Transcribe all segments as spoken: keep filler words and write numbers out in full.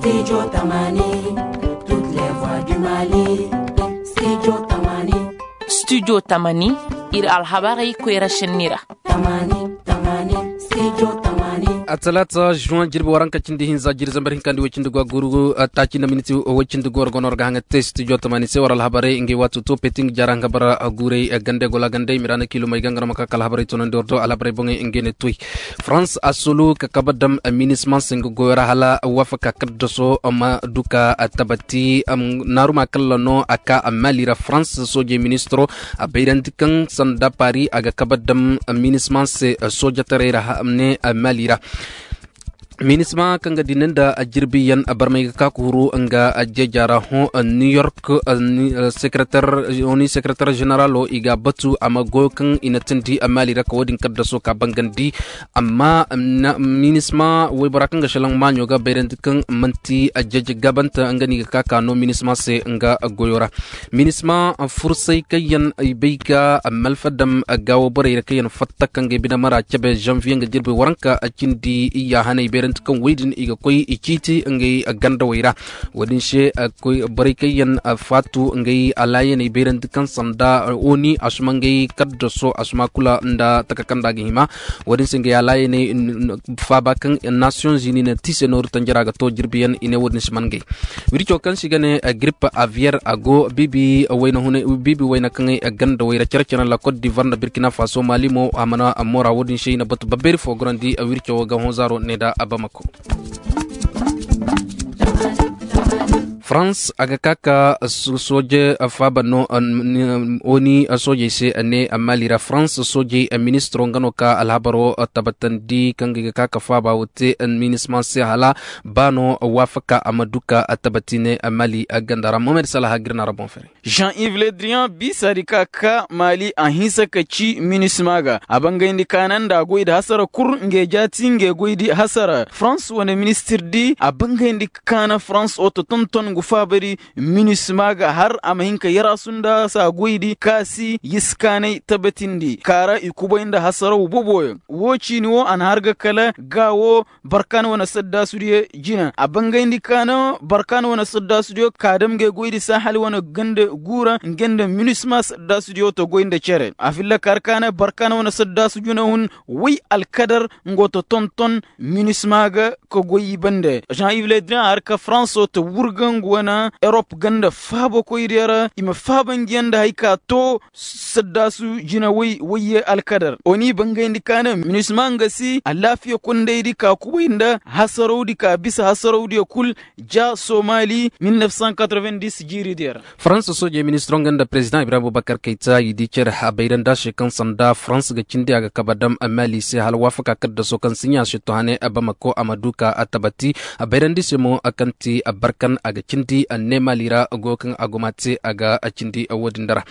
Studio tamani, toutes les voix du mali. Studio tamani. Studio tamani, ir alhabarey koyra šenni ra. Tamani, tamani, studio tamani. Atalaata juwan jirbi waranka cindi hinza jiri zambar hinkandi way cindi go a guru taaci nda miniti way cindi go war go no war ga haŋa te studio tamani se war alhabarey ngey waati to peti nga jaara nga bara guurey gande gola gande mirana kilomey ga nga no ma ka ka alhabarey tonandi war do alhabarey boŋey ngey ne toy. Farans a solu ka kaba dam minisma se nga goyo ra hala waafaka kaddaso ma du ka tabati. Naaruma kalla no a ka mali ra farans soojey ministiro a bayrandi kaŋ sanda paari a ga kaba dam minisma se soojataray ra ne mali ra. Minisma kaŋ ga dina nda jirbiyaŋ barmay ga ka ka huru nga jeeja ra hõ new york. Sekretar jeneralo i ga a batu a ma goyo kaŋ i na tindi mali ra ka wo-din kaddaso ka bangandi. Amma minisma waybora kaŋ ga šelaŋ maaɲo ga bayrandi kaŋ man'ti jeeje gabanta nga no i ga ka ka no minisma se nga goyo ra. Minisma fursay kaŋ yaŋ i bay ga malfa dam gaawo borey ra kaŋ yaŋ fatta kaŋ ga ay bine mara cabe zanviye nga jirbi waranka cindi iyya hana i bayrandi kaŋ wey din i ga koy i ciiti ngey gandawey ra. Wo-din se borey kaŋ yaŋ faatu ngey alaayaney bayrandi kaŋ sanda oni a suma ngey kaddaso a suma kula nda taka kaŋ nda a ga hima. Wo-din se ngey alaayaney faaba kaŋ nasiyoŋ zini na ti se nooru tanjara ga to jirbiyaŋ i ne wo-din si man ngey. Wirco kaŋ se i ga ne girip aviyer a go biibi wayna kaŋey ganda wayra care care nda kot divar nda birkina faso mali mo a mana moora wo-din se i na batu babbeeri fo gorandi wirco wo ga hõ zaaro ne nda bamako. Farans a ga ka ka sooje faaba no. Oni soojey se ne mali ra farans soojey ministiro nga no ka alhabaro tabbatandi kaŋ ga i ga ka ka faaba wo te minisma se hala ba no waafaka a ma du ka tabbati ne mali ganda ra mohamed salaha ga ir na ra boŋ fere. Jean ive ledrian biisa di ka ka maali a hinsa ka ci minisma ga a bangayndi kaana nda a goy di hasara kul ngey jaati ngey goy di hasara farans wane ministir di a bangayndi kaana farans oto tonton ngu faaba di. Minisma ga har a ma hin ka yarasu nda saa goy di kaasi yiskaanay tabatindi kaara i kubay nda hasaraw boboyaŋ. Woo ciini woo a na har ga kala gaawo barkan wane saddaasudiyo jina a bangayndi kaana barkan wane saddaasudiyo ka dam ngey goy di saa hali wane ganda guura ngey nda minisma saddaasudiyo ta goy nda cere a filla ka har kaana barkan wane saddaasu jina hun. Way alkadar nga ta tonton minisma ga ka goy i bande jean ive ledrian a har ka faranso ta wurga nga wane erop ganda faabakoydiyo ra i ma faaba ngiyaŋ nda hari ka to. Saddaasu jinawey wayye alkadar oni bangayndi kaana minisma nga si alaafiya kondaydi ka kubay nda hasarawdi ka bisa hasarawdiyo kul. Ja somali mil nef san katroven dis jiiridiyo ra. Farans soojey ministiro nga nda perezidaŋ ibrahim abubakar kayta i di cere a bayranda se kaŋ sanda farans ga cindi a ga kaba dam mali se hala waafaka kaddaso kaŋ siɲa se to hane bamako a ma du ka a tabati. A bayrandi se mo kaŋ ti barkan a ga cindi ne mali ra goyo kaŋ a goma te a ga cindi wo-din da ra.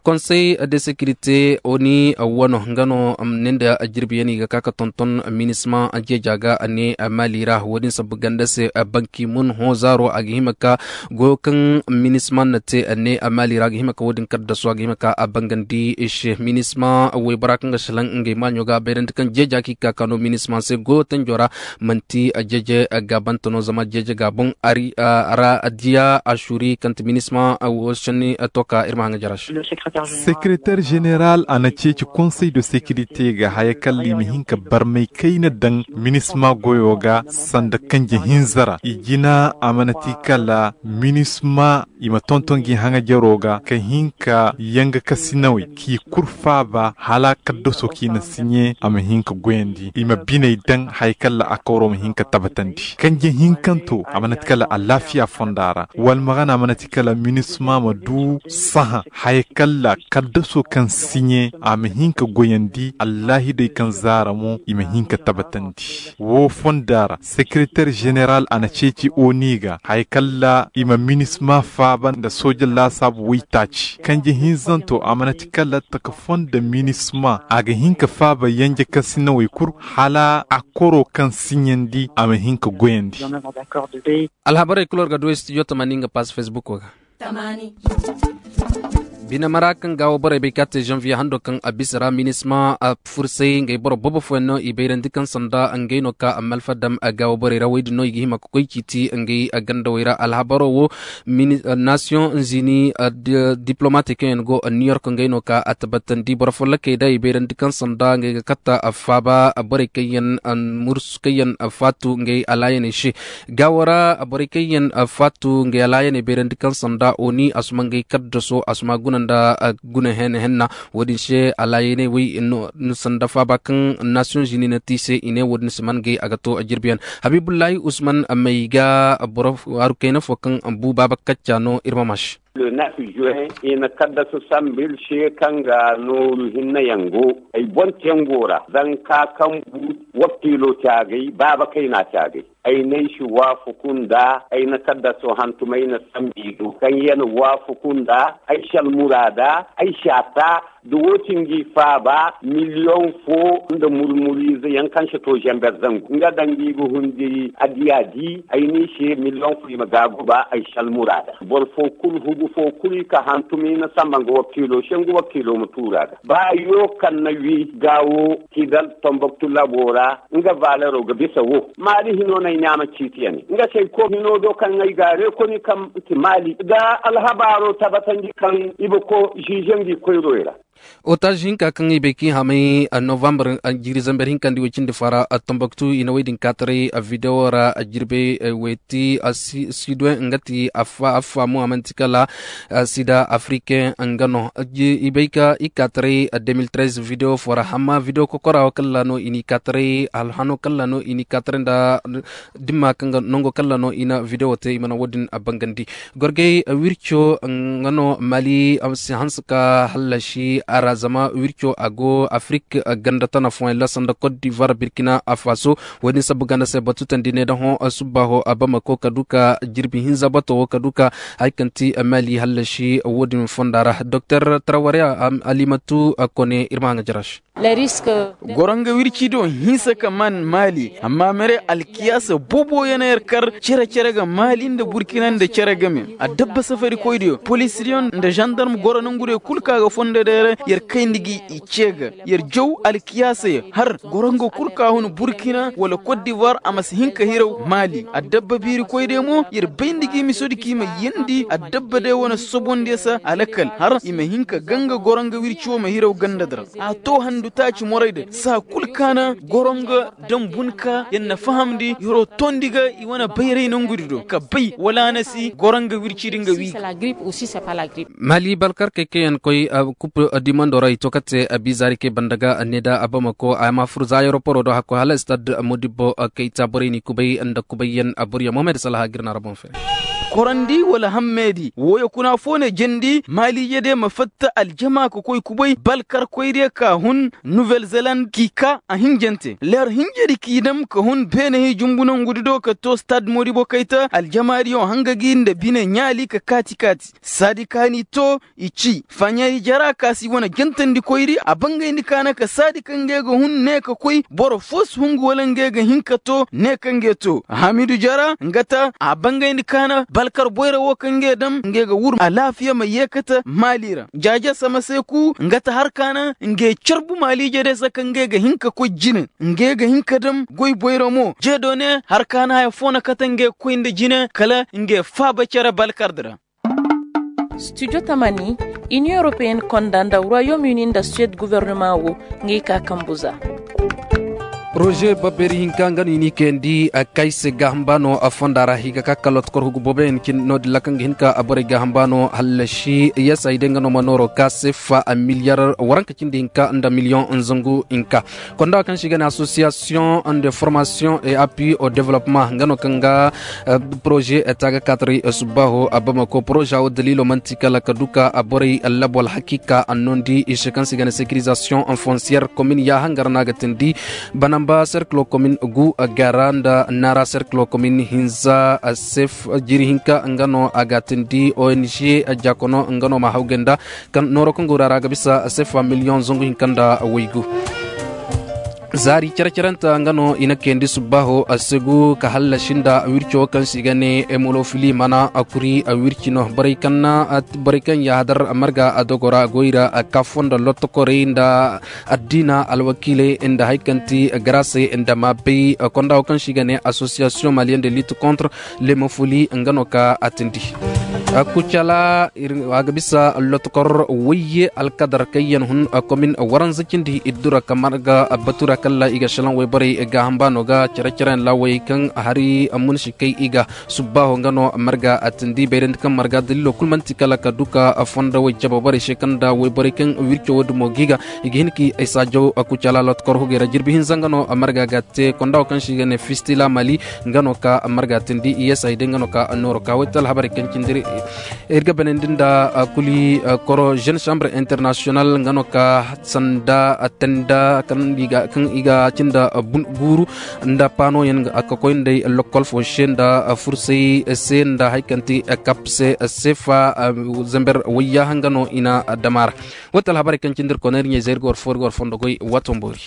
Konsey de sekirite oni wano nga no ne nda jirbiyaŋ i ga ka ka tonton minisma jeeja ga ne mali ra wo-din sabbu ganda se banki mun hõ zaaro a ga hima ka goyo kaŋ minisma na te ne mali ra a ga hima ka wo-din kaddasu a ga hima ka a bangandi se minisma waybora kaŋ ga salaŋ ngey maaɲo ga a bayrandi kaŋ jeeja kaŋ i ga ka ka no minisma se goyo tanjo ra. Man'ti jeeje gaabante no zama jeeje gaaboŋ a ra diya a suuri kaŋ ti minisma wo sanni. To ka ir ma haŋa jara se. Sekereter ženeral a na ceeci konsey de sekirite ga haya kalla i ma hin ka barmay kayna daŋ minisma goyo ga sanda kanje hinza ra i jina a mana ti kala minisma i ma tonton gi haŋa jaro ga ka hin ka yanga kasinawey k'i kul faaba hala kaddaso kaŋ i na siɲe a ma hin ka goyandi i ma biney daŋ haya kalla a kawro ma hin ka tabbatandi kanje hinkanto a mana ti kala alaafiya fonda ra wala magana a mana ti kala minisma ma du saha haya kalla kaddaso kaŋ siɲe a ma hin ka goyandi allaahidey kaŋ zaara mo i ma hin ka tabbatandi. Woo fonda ra sekereter ženeral a na ceeci oni ga haya kalla i ma minisma faaba nda sooja laasaabu waytaaci kanje hinzanto a mana ti kala taka fonda minisma a ga hin ka faaba yanje kasinawey kul hala a koro kaŋ siɲandi a ma hin ka goyandi. Alhabarey kul war ga du studio tamani nga pass facebook wo ga. Ina mara kaŋ gaawo borey bay ka te zanviye hando kaŋ a bisa ra minisma a fursay ngey boro boobo fooyaŋ no i bayrandi kaŋ sanda ngey no ka a malfa dam a gaawo borey ra woy din no i ga hima ka koy ciiti ngey a gandawey ra alhabaro wo. Nasiyoŋ zini diplomate kaŋ yaŋ go new york ngey no ka a tabbatandi boro follokey da i bayrandi kaŋ sanda ngey ga katta a faaba borey kaŋ yaŋ mursu kaŋ yaŋ faatu ngey alaayaney se. Gaawo ra borey kaŋ yaŋ faatu ngey alaayaney bayrandi kaŋ sanda oni a suma ngey kaddaso a suma guna nda guna henna henna. Wo-din se alaayaney wey sanda faaba kaŋ nasiyoŋ zini na te i se i ne wo-din si man ngey a ga to jirbiyaŋ. Habiibullahi usman may ga boro haru kayna fo kaŋ bu baaba kacca no ir ma maasi. Le neuf juin i na kaddasu sambu ir se kaŋ ga nooru hinne yaŋ go ay boŋ tengo ra zanka kaŋ bu wakiilo te agay baaba kayna te agay. Ay n'ay si waafaku nda ay na kaddaso hantum ay na sambu i do kaŋ ya na waafaku nda ay si almuraada ay si a ta. Da wo-din ga i faaba miliyoŋ fo nda murmuriize yaŋ kaŋ si to zamber zangu nga daŋ ga i ga hundi addiya di ay n'i se miliyoŋ fo i ma gaaguba ay si almuraada boro fo kulu hugu fo kulu i ka hantum i na samba nga wakiilo se nga wakiilo ma tuuru a ga ba yo kaŋ na wi gaawo kidal tomboktu laboo ra nga valero ga bisa wo maali hino no ay ne a ma ciiti ya ne nga se ay ko hino do kaŋ ay ga a reekoni kaŋ ti maali da alhabaaro tabatandi kaŋ i ba ko ziize ngi koyroy ra. Otaaz hinka kaŋ i bay kaŋ i hamay novambar jiiri zamber hinka nda i way cindi fara tomboktu i na woy din kaataray videwo ra jirbey weeti sidoy nga ti affaamu a man'ti kala sida afriken nga no. I bay ka i kaataray de mil trez videwo fo ra hamma videwo kokora wo kala no i n'i kaataray alhano kala no i n'i kaataray nda dimma kaŋ ga nango kala no i na videwo te i mana wo-din bangandi. Gorgey wirco nga no mali si hanse ka hallasi a ra zama wirco a go afrik ganda tana fooyaŋ ra sanda kot divar birkina faso. Wo-din sabbu ganda se batu tandi ne da hõ subbaaho a bamako ka du ka jirbi hinza bato wo ka du ka hari kaŋ ti mali hallasi wo-din fonda ra doktor traware alimatu kone ir ma haŋa jaraš. Goranga wirci do hinsa ka man mali amma mere alkiyaasa bobo yana yar kar cere cere ga mali nda burkina nda cere game. Adabba safari koy diyo polisiriyon nda zandarm goro nangu diyo kul ka ga fondo dayra yar kayndi gi i ce ga yar jaw alkiyaasa ya har goranga kul ka hun burkina wala kot divoir a masi hinka hiraw mali adabba biiri koy diyo mo yar bayndi gi miso di ki ma yandi adabba day wane sobondi ya sa alakal har i ma hinka ganga goranga wirci wo ma hiraw ganda dira. A to handu taaci moray da saa kul kaana goronga dambun ka yar na fahamndi yaro tondi ga i wane bayray nangudi do ka bay wala a na si goronga wircidi nga wi. Mali balkarkey kaŋ yaŋ koy kup dimando ra i to ka te bizaari kay banda ga ne da a bamako a ma fur za yaroporo do hakkoy hala stad modibbo kayta borey n'i kubay nda kubayyaŋ a buryaŋ mohamed salaha ga ir na ra boŋ fere. Korandi wala hammeedi wooyo kuna fo ne jandi maaliije de ma fatta aljama ka koy kubay balkarkoy de ka hun nuvel zeland k'i ka a hinjante leer hinjedi k'i dam ka hun beenahi jumbu nongudi do ka to stad modibo kayta aljamaadiyo hanga gi nda bine ɲaali ka kaati-kaati saadi ka n'i to i ci faɲari jara ka si wane jantandikoydi a bangayndi kaana ka saadi kaŋ ngey ga hun ne ka koy boro fo si hungu wala ngey ga hin ka to ne kaŋ ngey to hamidu jara nga ta a bangayndi kaana balkar boyra wo kaŋ ngey dam ngey ga wur alaafiya ma yeekata maali ra jaaja sama se ku nga ta har kaana ngey carbu maaliije day se kaŋ ngey ga hin ka koy jine ngey ga hin ka dam goy boyra mo jeedo ne har kaana haya fo na kate ngey ga koy nda jine kala ngey faaba cere balkardi ra. Studio tamani inion europeen konda nda royaume uni nda suwed guvernema wo ngey ka kambu za. Poroze babbeeri hinka nga no i n'i kayandi kay se gaaham baano fonda ra i ga ka kala tokor hugu booboyaŋ cindi no-din ra kaŋ ga hin ka borey gaaham baano hallasi yasay day nga no ma nooro ka se fa miliyar waranka cindi hinka nda miliyoŋ zangu hinka. Konda kaŋ se i ga ne association de formation et appui au développement nga no kaŋ ga poroze taaga kaataray subbaaho a bamako poroze wo daliilo man'ti kala ka du ka borey labo alhakiika a noondi i se kaŋ se i ga ne sekirizasiyoŋ fonsiyer komin yaahangar no a ga tindi banamba serkilo komin gu gara nda naara serkilo komin hinza sef jiiri hinka nga no a ga tindi ong jaakono nga no ma hawgay nda nooro kaŋ go ra ra ga bisa sefa miliyoŋ zangu hinka nda waygu. Zaari cere-cerenta nga no i na kayandi subbaaho a segu ka hallasi nda wirco kaŋ se i ga ne emolofili mana a kuri a wirci no borey kaŋ na borey kaŋ yaahadar marga a dogo ra goy ra a ka fondo lottokorey nda addiina alwakiiley nda hari kaŋ ti garase nda maabey konda wo kaŋ se i ga ne association malienne de lutte contre lemofoli nga no ka a tindi. Kucala a ga bisa lotokor wayye alkadar kaŋ yaŋ hun komin waranza cindi iddura kamar ga batura kalla i ga shalaŋ wayborey ga hamba no ga care-care yaŋ lawey kaŋ hari munsi kay i ga subbaaho nga no marga a tindi bayrandi kaŋ marga dalilo kul manti kala ka duka fondawey cababarey se kaŋ da wayborey kaŋ wirco wo dumo ga i ga i ga hin ka ay saajaw kucala lotokor hugey ra jirbi hinza nga no marga ga te konda wo kaŋ se i ga ne fistila mali nga no ka marga tindi iyesay day nga no ka nooro ka way te alhabarey kaŋ cindi ir ga banandi nda kuli koro jeune chambre international nga no ka sanda tenda kaŋ i ga cinda guuru nda panoyaŋ ka koy nday lokol fo se nda fursay se nda hari kaŋ ti kap se sefa zamber wayyaha nga no i na dama ra. Way te alhabarey kaŋ cindi ir konay ir ɲey zay ir ga war fo ir ga war fondo goy waato mboori.